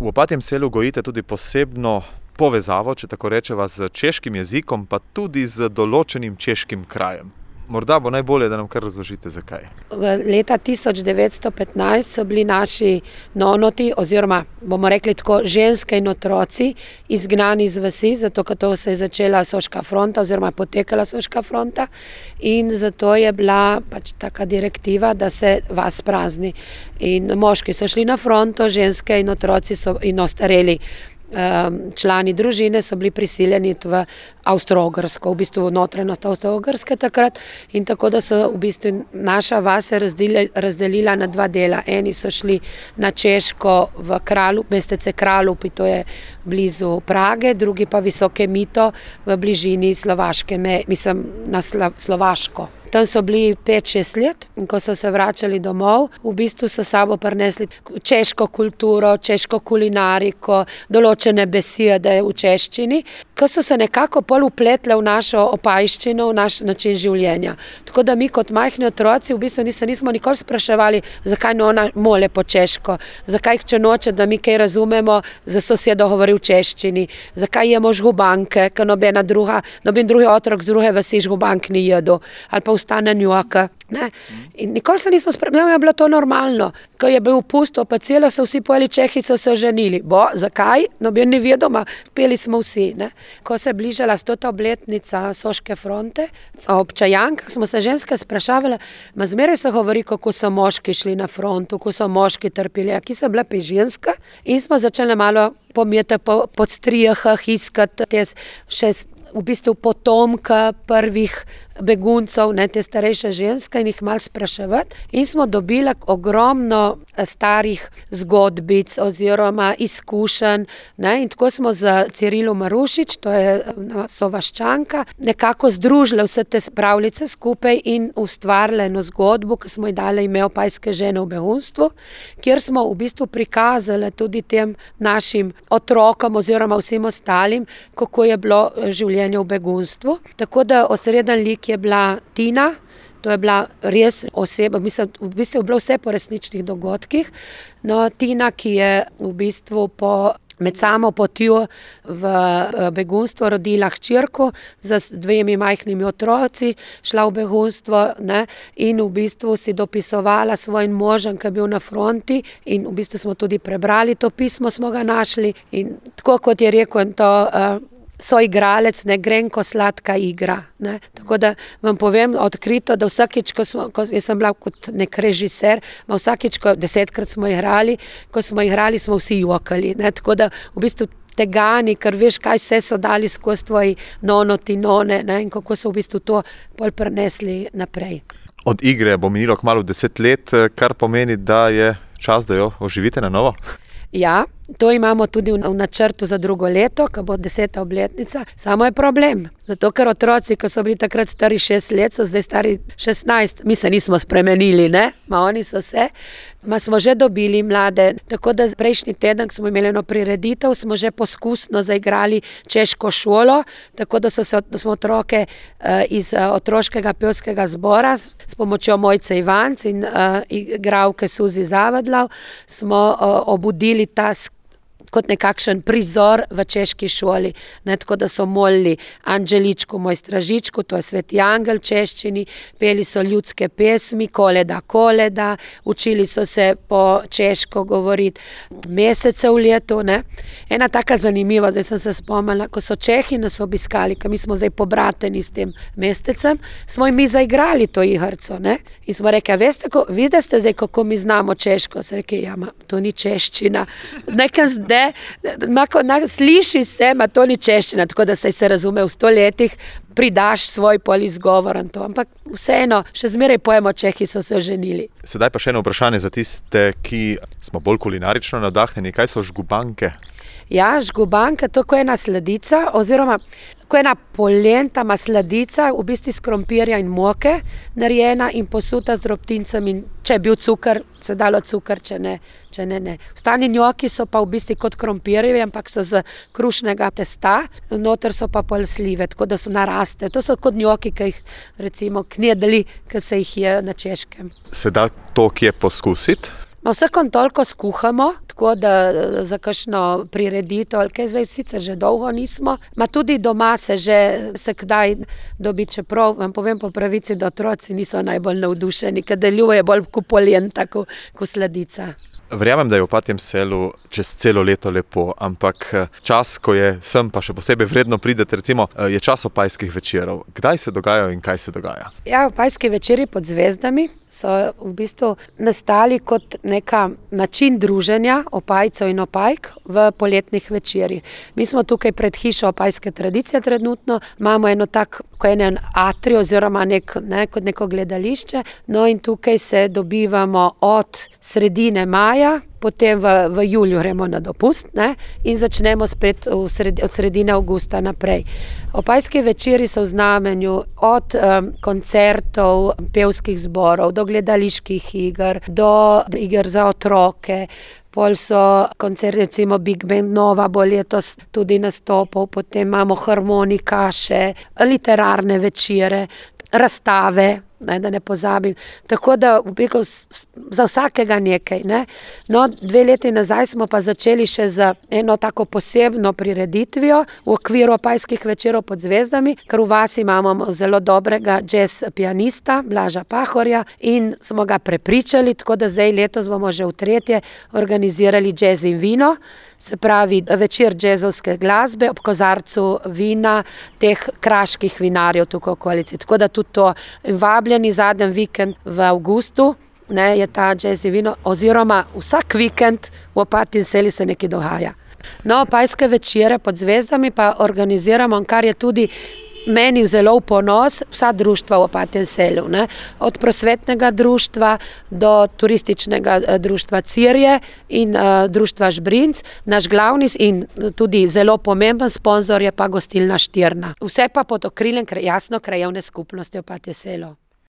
V Opatjem selu gojite tudi posebno povezavo, če tako rečeva, z češkim jezikom, pa tudi z določenim češkim krajem. Morda bo najbolje, da nam kar razložite, zakaj. Leta 1915 so bili naši nonoti, oziroma bomo rekli tako, ženske in otroci izgnani iz vasi, zato ker to se je začela Soška fronta oziroma potekala Soška fronta in zato je bila pač taka direktiva, da se vas prazni. In moški so šli na fronto, ženske in otroci in ostareli člani družine so bili prisiljeni v Avstro-Ogrsko, v bistvu notranjost Avstro-Ogrske takrat in tako, da so v bistvu naša vas se razdelila na dva dela. Eni so šli na Češko v mestece Kralup, to je blizu Prage, drugi pa Visoke Mito v bližini Slovaške, na Slovaško. Tam so bili 5-6 let in ko so se vračali domov, v bistvu so sabo prinesli češko kulturo, češko kulinariko, določene besede v češčini, ko so se nekako pol upletle v našo opajščino, v naš način življenja. Tako da mi kot majhni otroci v bistvu nismo nikoli spraševali, zakaj nona mole po češko, zakaj če noče, da mi kaj razumemo, za sosedo govori v češčini, zakaj jemo žgubanke, ker noben drugi otrok z druge vasi žgubank ni jedo, ali pa ostane njoka. In nikoli se nismo spremljali, je bilo to normalno. Ko je bil pusto, pa celo so vsi pojeli Čehi, so se oženili. Zakaj? Noben ni vedel, peli smo vsi. Ne? Ko se je bližala 100. obletnica Soške fronte, ob Čajankah smo se ženske sprašavali, zmeraj se govori, kako so moški šli na frontu, kako so moški trpili, ki so bile pa ženska. In smo začeli malo pomijeti po strijahah, iskati še v bistvu potomka prvih beguncev, te starejše ženske in jih malo spraševati. In smo dobili ogromno starih zgodbic oziroma izkušenj. In tako smo z Cirilo Marušič, to je Sovaščanka, nekako združili vse te pravljice skupaj in ustvarili eno zgodbo, ki smo ji dali ime Opajske žene v begunstvu, kjer smo v bistvu prikazali tudi tem našim otrokom oziroma vsem ostalim, kako je bilo življenje v begunstvu. Tako da osreden lik je bila Tina, to je bila res oseba, v bistvu je bilo vse po resničnih dogodkih. No, Tina, ki je v bistvu med samo potjo v begunstvo rodila hčerko z 2 majhnimi otroci, šla v begunstvo in v bistvu si dopisovala svojim možem, ki je bil na fronti in v bistvu smo tudi prebrali to pismo, smo ga našli in tako kot je rekel to soigralec, grenko sladka igra. Tako da vam povem odkrito, da vsakič, jaz sem bila kot nek režiser, vsakič, 10-krat smo igrali, ko smo igrali, smo vsi jokali. Tako da v bistvu tegani, ker veš, kaj vse so dali skozi tvoji nonoti, none in kako so v bistvu to pol prenesli naprej. Od igre bo minilo kmalu 10 let, kar pomeni, da je čas, da jo oživite na novo? Ja, to imamo tudi v načrtu za drugo leto, ko bo 10. obletnica. Samo je problem, zato ker otroci, ko so bili takrat stari 6 let, so zdaj stari 16. Mi se nismo spremenili, oni so se. Smo že dobili mlade, tako da prejšnji teden, ko smo imeli eno prireditev, smo že poskusno zaigrali češko šolo, tako da smo otroke iz otroškega pevskega zbora s pomočjo Mojce Ivanc in igralke Suzi Zavadlav smo obudili ta kot nekakšen prizor v češki šoli. Tako da so molili Anđeličku, moj stražičku, to je Sveti angel v češčini, peli so ljudske pesmi, koleda, učili so se po češko govoriti mesece v letu. Ena taka zanimiva, zdaj sem se spomnila, ko so Čehi nas obiskali, ker mi smo zdaj pobrateni s tem mesecem, smo jim mi zaigrali to igrco. In smo rekli, vidite zdaj, kako mi znamo češko? Se rekli, to ni češčina. Nekaj zdaj, sliši se, to ni češčina, tako da se razume v 100 letih, pridaš svoj polizgovor in to. Ampak vseeno, še zmeraj pojemo, Čehi so se oženili. Sedaj pa še eno vprašanje za tiste, ki smo bolj kulinarično navdahnjeni. Kaj so žgubanke? Ja, žgubanka, to je ena sladica, oziroma ko ena polenta sladica, v bistvu iz krompirja in moke narejena in posuta z drobtincem in če je bil cukor, se dalo cukor, če ne. Ostani njoki so pa v bistvu kot krompirjevi, ampak so z krušnega testa, noter so pa pol slive, tako da so naraste. To so kot njoki, ki jih recimo knedli, ki se jih je na Češkem. Se da to kje poskusiti? Vsakom toliko skuhamo, tako da za kakšno prireditev, ali kaj zdaj sicer že dolgo nismo. Tudi doma se kdaj dobi, čeprav vam povem po pravici, da otroci niso najbolj navdušeni, ker deluje bolj kot polenta, kot sladica. Verjamem, da je v Opatjem Selu čez celo leto lepo, ampak čas, ko je sem, pa še posebej vredno pridete, recimo, je čas opajskih večerov. Kdaj se dogajajo in kaj se dogaja? Ja, opajski večeri pod zvezdami so v bistvu nastali kot neka način druženja opajcev in opajk v poletnih večerih. Mi smo tukaj pred hišo opajske tradicije trenutno, imamo eno tak, ko je en atrij oziroma kot neko gledališče, no in tukaj se dobivamo od sredine maja, potem v juliju gremo na dopust, in začnemo spet od sredine avgusta naprej. Opajski večeri so v znamenju od koncertov, pevskih zborov, do gledaliških iger, do iger za otroke, pol so koncerti, recimo Big Band Nova bo letos tudi nastopal, potem imamo harmonikaše, literarne večere, razstave, da ne pozabim. Tako da za vsakega nekaj. No, 2 leti nazaj smo pa začeli še z eno tako posebno prireditvijo v okviru opajskih večerov pod zvezdami, ker v vasi imamo zelo dobrega jazz pianista Blaža Pahorja in smo ga prepričali, tako da zdaj letos bomo že v 3. organizirali jazz in vino, se pravi večer jazzovske glasbe ob kozarcu vina teh kraških vinarjev tukaj v okolici. Tako da tudi to vabljeni zadnji vikend v avgustu, je ta jazz in vino, oziroma vsak vikend v Opatjem Selu se nekaj dogaja. No, opajske večere pod zvezdami pa organiziramo, kar je tudi meni zelo v ponos, vsa društva v Opatjem Selu, od prosvetnega društva do turističnega društva Cirje in društva Žbrinc. Naš glavni in tudi zelo pomemben sponzor je pa gostilna Štirna. Vse pa pod okriljem jasno krajevne skupnosti Opatje Selo.